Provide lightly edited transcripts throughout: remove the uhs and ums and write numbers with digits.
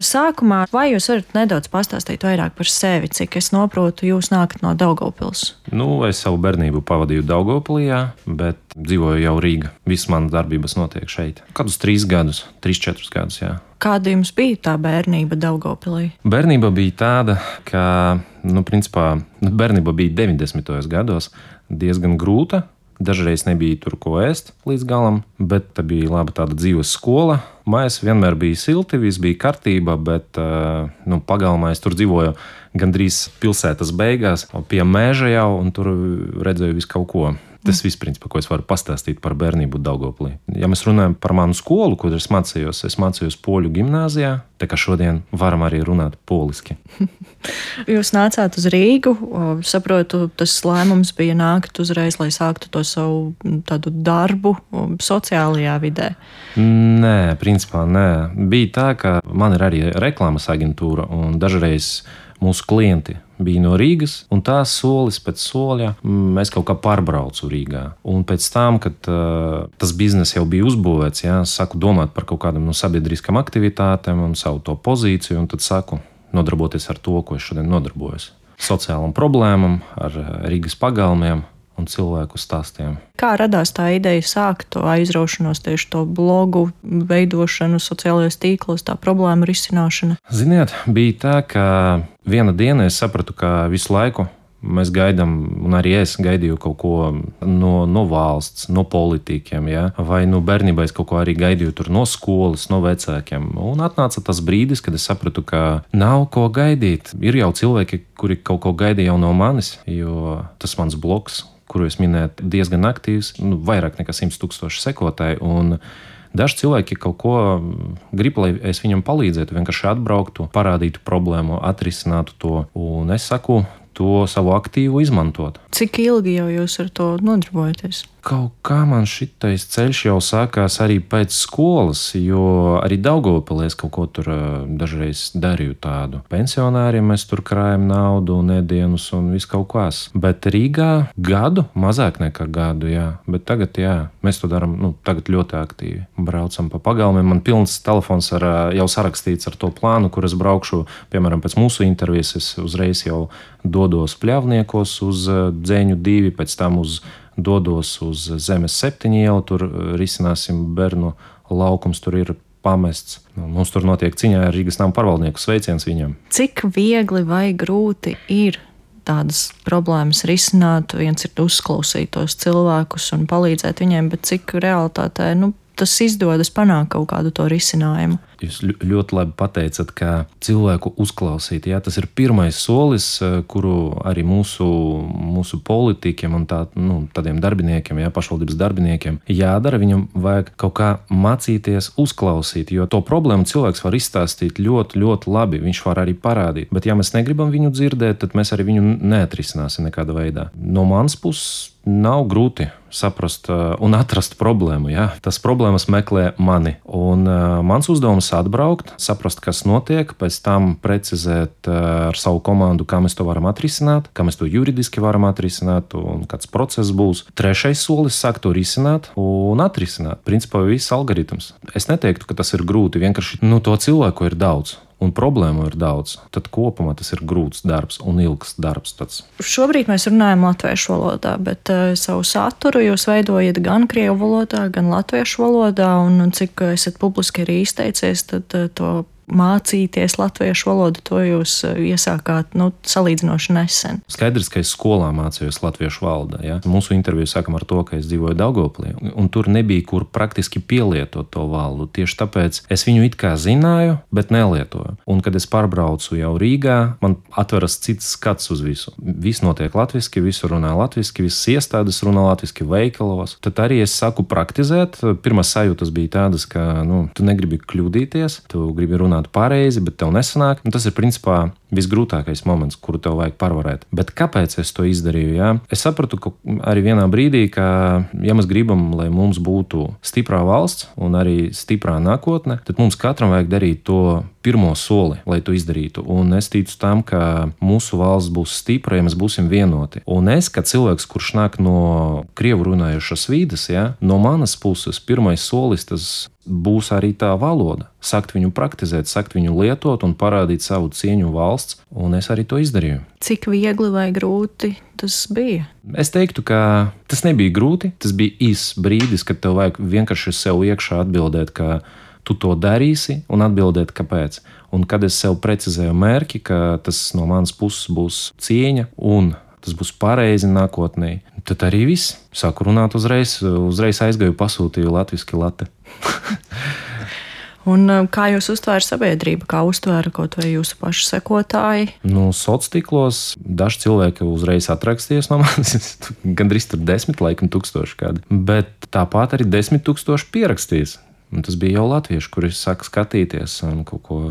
Sākumā, vai jūs varat nedaudz pastāstīt vairāk par sevi, cik es saprotu, jūs nākat no Daugavpils? Es savu bērnību pavadīju Daugavpilī, bet dzīvoju jau Rīgā. Visas manas darbības notiek šeit. Kādus 3 gadus, 3-4 gadus. Jā. Kāda jums bija tā bērnība Daugavpilī? Bērnība bija tāda, ka, bērnība bija 90. gados diezgan grūta. Dažreiz nebija tur ko ēst līdz galam, bet tā bija laba tāda dzīves skola. Mājās vienmēr bija silti, viss bija kārtībā, bet pagalmā es tur dzīvoju gandrīz pilsētas beigās, pie meža jau, un tur redzēju visu kaut ko. Tas viss, principā, ko es varu pastāstīt par bērnību Daugavpilī. Ja mēs runājam par manu skolu, kur es mācījos poļu gimnāzijā, tā kā šodien varam arī runāt poliski. Jūs nācāt uz Rīgu, saprotu, tas lēmums bija nākt uzreiz, lai sāktu to savu tādu darbu sociālajā vidē. Nē, principā nē. Bija tā, ka man ir arī reklāmas aģentūra, un dažreiz mūsu klienti bija no Rīgas, un tā solis pēc soļa es kaut kā pārbraucu Rīgā. Un pēc tam, kad tas biznes jau bija uzbūvēts, sāku domāt par kaut kādām sabiedriskām aktivitātēm un savu to pozīciju, un tad sāku nodarboties ar to, ko es šodien nodarbojos. Sociālām problēmām, ar Rīgas pagalmiem un cilvēku stāstiem. Kā radās tā ideja sākt to aizraušanos, tieši to blogu veidošanu, sociālajos tīklos, tā problēma risināšana? Ziniet, bija tā, ka viena diena es sapratu, ka visu laiku mēs gaidām, un arī es gaidīju kaut ko no valsts, no politiķiem, vai bērnībā es kaut ko arī gaidīju tur no skolas, no vecākiem. Un atnāca tas brīdis, kad es sapratu, ka nav ko gaidīt. Ir jau cilvēki, kuri kaut ko gaidīja jau no manis, jo tas mans blogs, kuru es minēju, diezgan aktīvs, vairāk nekā 100,000 sekotāji. Un daži cilvēki kaut ko grib, lai es viņam palīdzētu, vienkārši atbrauktu, parādītu problēmu, atrisinātu to. Un es saku, to savu aktīvu izmantot. Cik ilgi jau jūs ar to nodarbojaties? Kaut kā man šitais ceļš jau sākās arī pēc skolas, jo arī Daugavpilī es kaut ko tur dažreiz darīju tādu. Pensionāriem mēs tur krājam naudu un ēdienus un viss kaut kas. Bet Rīgā gadu, mazāk nekā gadu, bet tagad, mēs to darām tagad ļoti aktīvi. Braucam pa pagalmiem, man pilns telefons jau sarakstīts ar to plānu, kur es braukšu, piemēram, pēc mūsu intervijas, es uzreiz jau dodos Pļavniekos uz Dzeņu 2, pēc tam dodos uz Zemes 7 ielu, tur risināsim bērnu laukums, tur ir pamests. Mums tur notiek ciņā ar Rīgas nama pārvaldnieku, sveiciens viņam. Cik viegli vai grūti ir tādas problēmas risināt? Viens ir uzklausīt tos cilvēkus un palīdzēt viņiem, bet cik realitātē tas izdodas panākt kaut kādu to risinājumu? Jūs ļoti labi pateicat, ka cilvēku uzklausīt, tas ir pirmais solis, kuru arī mūsu politiķiem un tādiem darbiniekiem, pašvaldības darbiniekiem jādara. Viņam vajag kaut kā mācīties uzklausīt, jo to problēmu cilvēks var izstāstīt ļoti, ļoti labi. Viņš var arī parādīt, bet ja mēs negribam viņu dzirdēt, tad mēs arī viņu neatrisināsim nekādā veidā. No manas puses nav grūti saprast un atrast problēmu. Tas problēmas meklē mani. Un mans uzdevums atbraukt, saprast, kas notiek, pēc tam precizēt ar savu komandu, kā mēs to varam atrisināt, kā mēs to juridiski varam atrisināt un kāds process būs. Trešais solis - sākt to risināt un atrisināt. Principā viss algoritms. Es neteiktu, ka tas ir grūti, vienkārši to cilvēku ir daudz. Un problēmu ir daudz, tad kopumā tas ir grūts darbs un ilgs darbs. Šobrīd mēs runājam latviešu valodā, bet savu saturu jūs veidojat gan krievu valodā, gan latviešu valodā, un cik esat publiski arī izteicies, tad to mācīties latviešu valodu, to jūs iesākāt salīdzinoši nesen. Skaidrs, ka es skolā mācījos latviešu valodā. Mūsu interviju sākam ar to, ka es dzīvoju Daugavpilī, un tur nebija kur praktiski pielietot to valodu. Tieši tāpēc es viņu it kā zināju, bet nelietoju. Un kad es pārbraucu jau Rīgā, man atveras cits skats uz visu. Viss notiek latviski, visu runā latviski, visas iestādes runā latviski veikalos. Tad arī es saku praktizēt. Pirmās sajūtas bija tādas, ka tu negribi kļūdīties, tu gribi runāt pareizi, bet tev nesanāk. Tas ir principā visgrūtākais moments, kuru tev vajag pārvarēt. Bet kāpēc es to izdarīju? Es sapratu, ka arī vienā brīdī, ka ja mēs gribam, lai mums būtu stiprā valsts un arī stiprā nākotne, tad mums katram vajag darīt to pirmo soli, lai to izdarītu. Un es ticu tam, ka mūsu valsts būs stipra, ja mēs būsim vienoti. Un es, kā cilvēks, kurš nāk no krievu runājušas vides, no manas puses pirmais solis tas būs arī tā valoda. Sakt viņu praktizēt, sakt viņu lietot un parādīt savu cieņu valsts, un es arī to izdarīju. Cik viegli vai grūti tas bija? Es teiktu, ka tas nebija grūti. Tas bija īss brīdis, kad tev vajag vienkārši sev iekšā atbildēt, ka tu to darīsi, un atbildēt, kāpēc. Un kad es sev precizēju mērķi, ka tas no manas puses būs cieņa un tas būs pareizi nākotnē, tad arī viss. Sāku runāt uzreiz aizgāju, pasūtīju latviski late. Un kā jūs uztvēra sabiedrība, kā uztvēra kaut vai jūsu pašu sekotāji? Sociālos tīklos daži cilvēki uzreiz atrakstījās no manis, gandrīz tur 10, laikam, tūkstoši kādi. Bet tāpat arī 10,000 pierakstījās. Un tas bija jau latvieši, kuri saka skatīties un kaut ko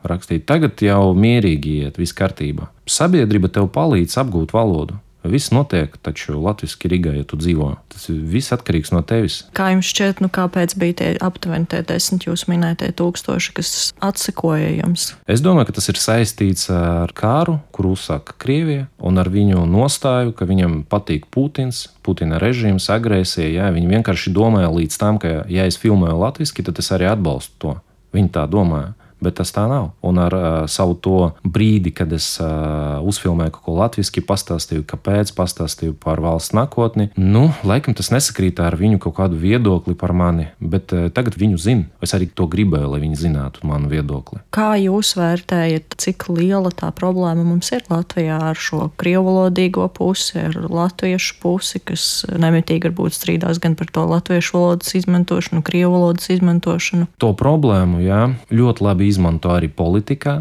rakstīt. Tagad jau mierīgi iet, viss kārtībā. Sabiedrība tev palīdz apgūt valodu. Viss notiek taču latviski Rīgā, ja tu dzīvo. Tas viss atkarīgs no tevis. Kā jums šķiet, kāpēc bija tie aptuveni tie 10 jūs minētie tūkstoši, kas atsekoja jums? Es domāju, ka tas ir saistīts ar kāru, kuru uzsāka Krievija, un ar viņu nostāju, ka viņam patīk Putins, Putina režīms, agresija. Jā, viņi vienkārši domāja līdz tam, ka ja es filmēju latviski, tad es arī atbalstu to. Viņi tā domāja. Bet tas tā nav. Un ar savu to brīdi, kad es uzfilmēju kaut ko latviski, pastāstīju, kāpēc, pastāstīju par valsts nākotni. Laikam tas nesakrīt ar viņu kaut kādu viedokli par mani, bet tagad viņu zina. Es arī to gribēju, lai viņi zinātu manu viedokli. Kā jūs vērtējat, cik liela tā problēma mums ir Latvijā ar šo krievalodīgo pusi, ar latviešu pusi, kas nemitīgi varbūt strīdās gan par to latviešu valodas izmantošanu, krievu valodas izmantošanu? To problēmu, jā, ļoti labi izmanto arī politikā,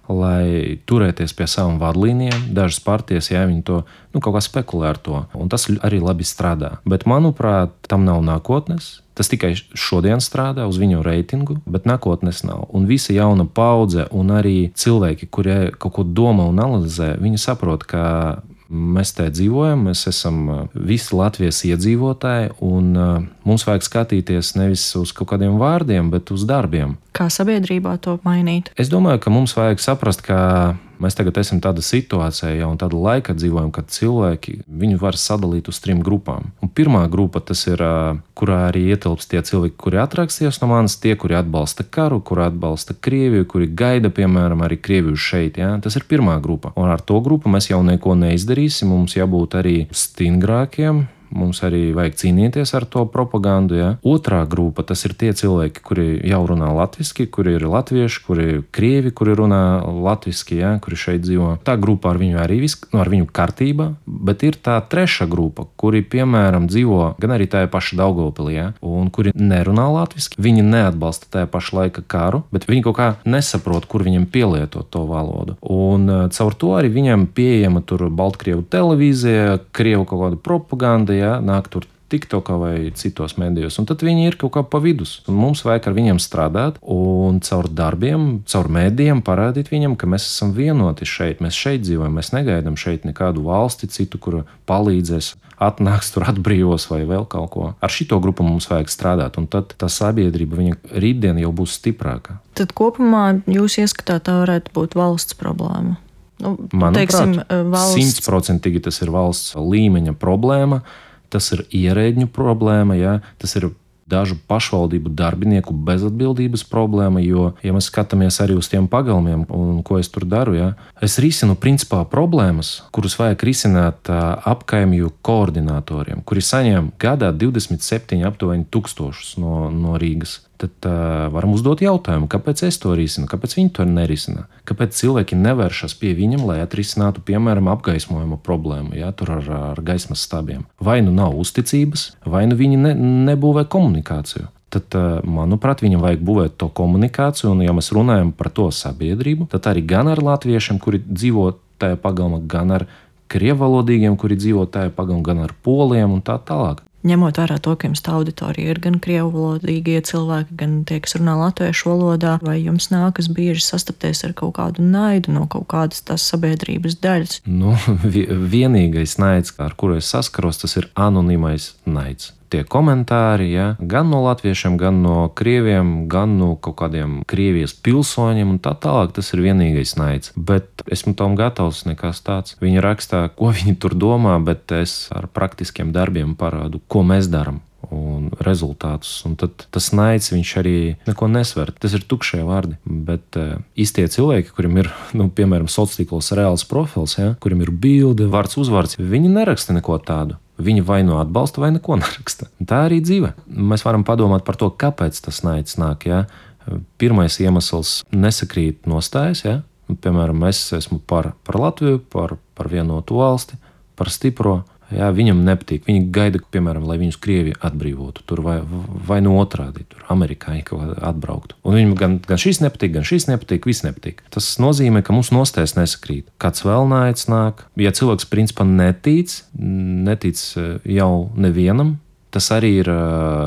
lai turēties pie savām vadlīnijām. Dažas partijas, jā, viņi to kaut kā spekulē ar to, un tas arī labi strādā. Bet, manuprāt, tam nav nākotnes. Tas tikai šodien strādā uz viņu reitingu, bet nākotnes nav. Un visa jauna paudze un arī cilvēki, kuri kaut ko domā un analizē, viņi saprot, ka mēs te dzīvojam, mēs esam visi Latvijas iedzīvotāji, un mums vajag skatīties nevis uz kaut kādiem vārdiem, bet uz darbiem. Kā sabiedrībā to mainīt? Es domāju, ka mums vajag saprast, ka mēs tagad esam tādā situācijā, jau tāda laika dzīvojam, kad cilvēki viņu var sadalīt uz 3 grupām. Un pirmā grupa tas ir, kurā arī ietilps tie cilvēki, kuri atrakstījās no manis, tie, kuri atbalsta karu, kuri atbalsta Krieviju, kuri gaida, piemēram, arī Krieviju šeit. Ja? Tas ir pirmā grupa. Un ar to grupu mēs jau neko neizdarīsim, mums jābūt arī stingrākiem. Mums arī vajag cīnīties ar to propagandu. Ja? Otrā grupa, tas ir tie cilvēki, kuri jau runā latviski, kuri ir latvieši, kuri ir krievi, kuri runā latviski, ja? Kuri šeit dzīvo. Tā grupa ar viņu arī ar viņu kārtībā, bet ir tā trešā grupa, kuri, piemēram, dzīvo gan arī tajā pašā Daugavpilī, ja? Un kuri nerunā latviski. Viņi neatbalsta tajā pašā laika karu, bet viņi kaut kā nesaprot, kur viņiem pielietot to valodu. Un caur to arī viņam pieejama tur Baltkrievu televīzija, Krievu kaut kāda propaganda, ja, nāk tur TikTokā vai citos medijos, un tad viņi ir kaut kā pa vidus. Un mums vajag ar viņiem strādāt un caur darbiem, caur medijiem parādīt viņam, ka mēs esam vienoti šeit, mēs šeit dzīvojam, mēs negaidām šeit nekādu valsti citu, kura palīdzēs, atnāks tur atbrīvos vai vēl kaut ko. Ar šito grupu mums vajag strādāt, un tad tā sabiedrība, viņa rītdien jau būs stiprāka. Tad kopumā jūs ieskatāt, tā varētu būt valsts problēma? Manuprāt, 100% tas ir valsts līmeņa problēma. Tas ir ierēdņu problēma, ja? Tas ir dažu pašvaldību darbinieku bezatbildības problēma, jo, ja mēs skatāmies arī uz tiem pagalmiem, un ko es tur daru, ja? Es risinu principā problēmas, kuras vajag risināt apkaimju koordinatoriem, kuri saņem gadā 27 aptuveni tūkstošus no Rīgas. Tad varam uzdot jautājumu, kāpēc es to risinu, kāpēc viņi to nerisina, kāpēc cilvēki nevēršas pie viņam, lai atrisinātu, piemēram, apgaismojuma problēmu, ja, tur ar gaismas stabiem. Vai nu nav uzticības, vai nu viņi nebūvē komunikāciju. Tad, manuprāt, viņam vajag būvēt to komunikāciju, un ja mēs runājam par to sabiedrību, tad arī gan ar latviešiem, kuri dzīvo tajā pagalmā, gan ar krievalodīgiem, kuri dzīvo tajā pagalmā, gan ar poliem un tā tālāk. Ņemot vērā to, ka jums tā auditorija ir gan krievalodīgie cilvēki, gan tie, kas runā latviešu valodā, vai jums nākas bieži sastapties ar kaut kādu naidu no kaut kādas tās sabiedrības daļas? Vienīgais naids, ar kuru es saskaros, tas ir anonīmais naids. Tie komentāri, ja, gan no latviešiem, gan no krieviem, gan no kaut kādiem Krievijas pilsoņiem un tā tālāk, tas ir vienīgais naids. Bet esmu tam gatavs, nekas tāds. Viņi rakstā, ko viņi tur domā, bet es ar praktiskiem darbiem parādu, ko mēs darām. un rezultātus. Un tad tas naids, viņš arī neko nesver. Tas ir tukšie vārdi. Bet īstie cilvēki, kuriem ir, piemēram, sociālos tīklos reāls profils, ja, kuriem ir bilde, vārds, uzvārds, viņi neraksta neko tādu. Viņi vai nu atbalsta, vai neko neraksta. Tā arī dzīve. Mēs varam padomāt par to, kāpēc tas naids nāk. Ja. Pirmais iemesls nesakrīt nostājas. Ja. Piemēram, es esmu par Latviju, par vienotu valsti, par stipro. Jā, viņam nepatīk. Viņi gaida, piemēram, lai viņus Krievija atbrīvotu, tur vai no otrādi, tur amerikāņi atbrauktu. Un viņam gan šis nepatīk, viss nepatīk. Tas nozīmē, ka mūsu nostājas nesakrīt. Kāds vēl naids nāk. Ja cilvēks principā netic jau nevienam, tas arī ir,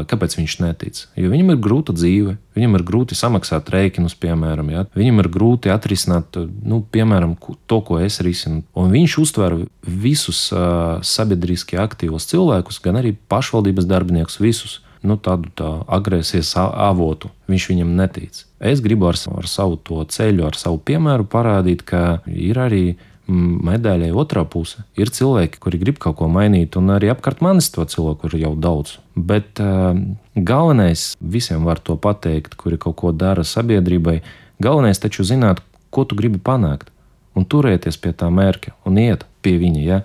kāpēc viņš netic. Jo viņam ir grūta dzīve, viņam ir grūti samaksāt rēķinus, piemēram. Ja? Viņam ir grūti atrisināt, piemēram, to, ko es risinu. Un viņš uztver visus sabiedriski aktīvos cilvēkus, gan arī pašvaldības darbiniekus, visus. Tādu agresijas avotu. Viņš viņam netic. Es gribu ar savu to ceļu, ar savu piemēru parādīt, ka ir arī medaļai otrā puse. Ir cilvēki, kuri grib kaut ko mainīt, un arī apkārt manis to cilvēku ir jau daudz. Bet galvenais, visiem var to pateikt, kuri kaut ko dara sabiedrībai, galvenais taču zināt, ko tu gribi panākt, un turēties pie tā mērķa, un iet pie viņa. Ja?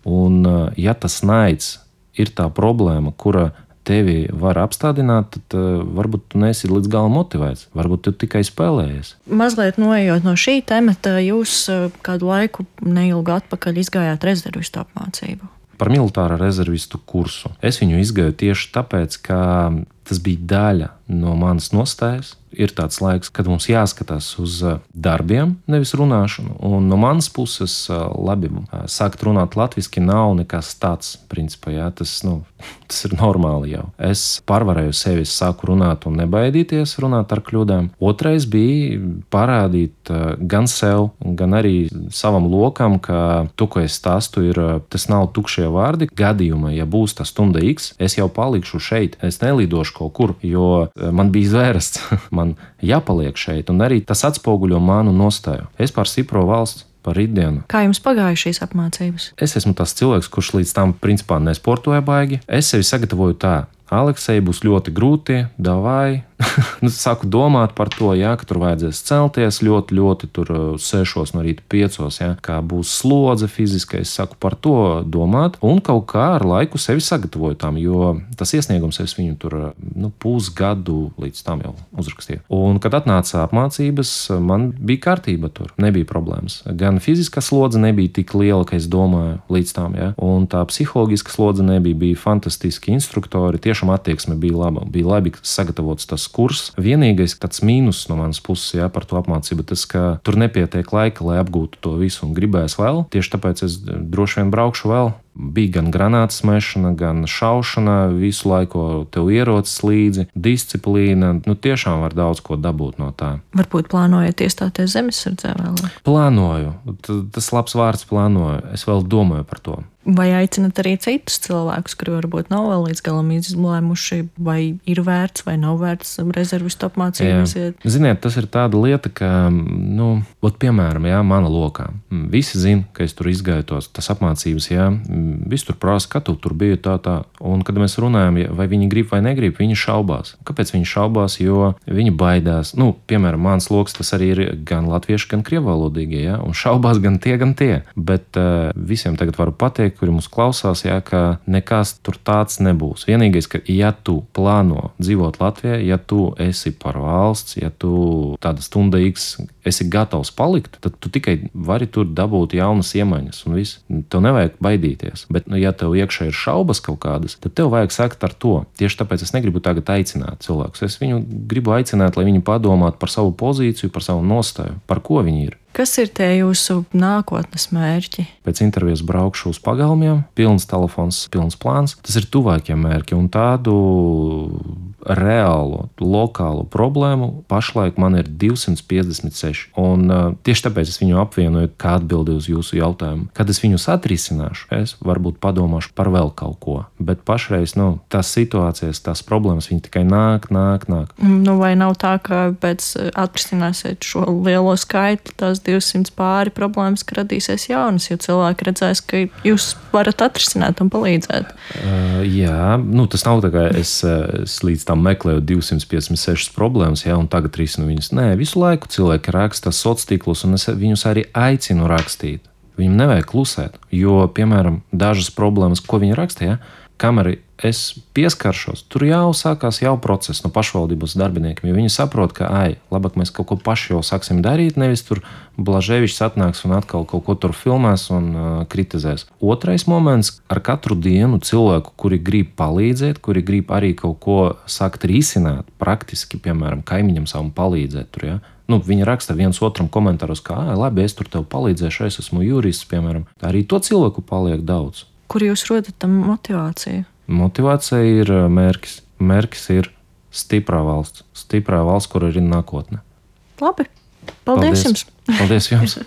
Un ja tas naids ir tā problēma, kura tevi var apstādināt, tad varbūt tu neesi līdz galam motivēts. Varbūt tu tikai spēlējies. Mazliet noejot no šī temata, jūs kādu laiku neilgu atpakaļ izgājāt rezervistu apmācību. Par militāra rezervistu kursu. Es viņu izgāju tieši tāpēc, ka tas bija daļa no manas nostājas. Ir tāds laiks, kad mums jāskatās uz darbiem, nevis runāšanu. Un no manas puses, labi, sākt runāt latviski nav nekas tāds, principā, jā, tas ir normāli jau. Es pārvarēju sevi, sāku runāt un nebaidīties runāt ar kļūdām. Otrais bija parādīt gan sev, gan arī savam lokam, ka to, ko es stāstu, tas nav tukšie vārdi. Gadījumā, ja būs tā stunda X, es jau palikšu šeit. Es nelidošu kaut kur, jo man bija zvērsts. Man jāpaliek šeit, un arī tas atspoguļo manu nostāju. Es par stipro valsts, par rītdienu. Kā jums pagāja šīs apmācības? Es esmu tas cilvēks, kurš līdz tam principā nesportoja baigi. Es sevi sagatavoju tā. Aleksei būs ļoti grūti, davai. Sāku domāt par to, ka tur vajadzēs celties ļoti tur 6 no rīta 5, kā būs slodze fiziskais. Es sāku par to domāt un kaut kā ar laiku sevi sagatavoju tam, jo tas iesniegums es viņu tur pusgadu līdz tam jau uzrakstīju. Un, kad atnāca apmācības, man bija kārtība tur, nebija problēmas. Gan fiziskā slodze nebija tik liela, ka es domāju līdz tam, un tā psiholoģiska slodze nebija, bija fantastiski instruktori, tiešām attieksme bija laba, bija labi sagatavots tas kurs. Vienīgais tāds mīnus no manas puses par to apmācību, tas, ka tur nepietiek laika, lai apgūtu to visu un gribēs vēl. Tieši tāpēc es droši vien braukšu vēl. Bija gan granātas mešana, gan šaušana, visu laiku tev ierocis līdzi, disciplīna. Tiešām var daudz ko dabūt no tā. Varbūt plānojat iestāties zemesardzē vēl? Plānoju. Tas labs vārds plānoju. Es vēl domāju par to. Vai aicinat arī citus cilvēkus, kuri varbūt nav vēl līdz galam izlēmuši, vai ir vērts vai nav vērts rezervistu apmācības? Ziniet, tas ir tāda lieta, ka, piemēram, mana lokā. Visi zina, ka es tur izgāju tas apmācības, visi tur prasa, ka tu tur biji tā. Un, kad mēs runājam, vai viņi grib vai negrib, viņi šaubās. Kāpēc viņi šaubās? Jo viņi baidās. Piemēram, mans loks tas arī ir gan latvieši, gan krievalodīgie, un šaubās gan tie. Bet visiem tagad varu pateikt, kuri mūs klausās, ka nekas tur tāds nebūs. Vienīgais, ka ja tu plāno dzīvot Latvijā, ja tu esi par valsts, ja tu tāda stunda X esi gatavs palikt, tad tu tikai vari tur dabūt jaunas iemaņas un viss. Tev nevajag baidīties. Bet, ja tev iekšā ir šaubas kaut kādas, tad tev vajag sākt ar to. Tieši tāpēc es negribu tagad aicināt cilvēkus. Es viņu gribu aicināt, lai viņi padomātu par savu pozīciju, par savu nostāju, par ko viņi ir. Kas ir tie jūsu nākotnes mērķi? Pēc intervijas braukšu uz pagalmiem, pilns telefons, pilns plāns. Tas ir tuvākie mērķi, un tādu reālo, lokālo problēmu pašlaik man ir 256. Un tieši tāpēc es viņu apvienoju, kā atbildi uz jūsu jautājumu. Kad es viņus atrisināšu, es varbūt padomāšu par vēl kaut ko. Bet pašreiz tās situācijas, tās problēmas, viņi tikai nāk. Vai nav tā, ka pēc atrisināsiet šo lielo skaitli, tās 200 pāri problēmas, ka radīsies jaunas, jo cilvēki redzēs, ka jūs varat atrisināt un palīdzēt? Jā, tas nav tā, ka es līdz tam meklēju 256 problēmas, un tagad risinu viņas. Nē, visu laiku cilvēki raksta sociālos tīklos, un es viņus arī aicinu rakstīt. Viņam nevajag klusēt, jo, piemēram, dažas problēmas, ko viņi raksta, kamēr es pieskaršos, tur jau sākās process no pašvaldības darbiniekiem, jo viņi saprot, ka, labāk mēs kaut ko paši jau sāksim darīt, nevis tur Blaževičs atnāks un atkal kaut ko tur filmēs un kritizēs. Otrais moments, ar katru dienu cilvēku, kuri grib palīdzēt, kuri grib arī kaut ko sākt risināt, praktiski, piemēram, kaimiņam savam palīdzēt tur, viņi raksta viens otram komentāros, ka, labi, es tur tev palīdzēšu, es esmu jurists, piemēram. Arī to cilvēku paliek daudz. Kur jūs rodat tam motivāciju? Motivācija ir mērķis. Mērķis ir stiprā valsts. Stiprā valsts, kur ir nākotne. Labi. Paldies jums! Paldies jums!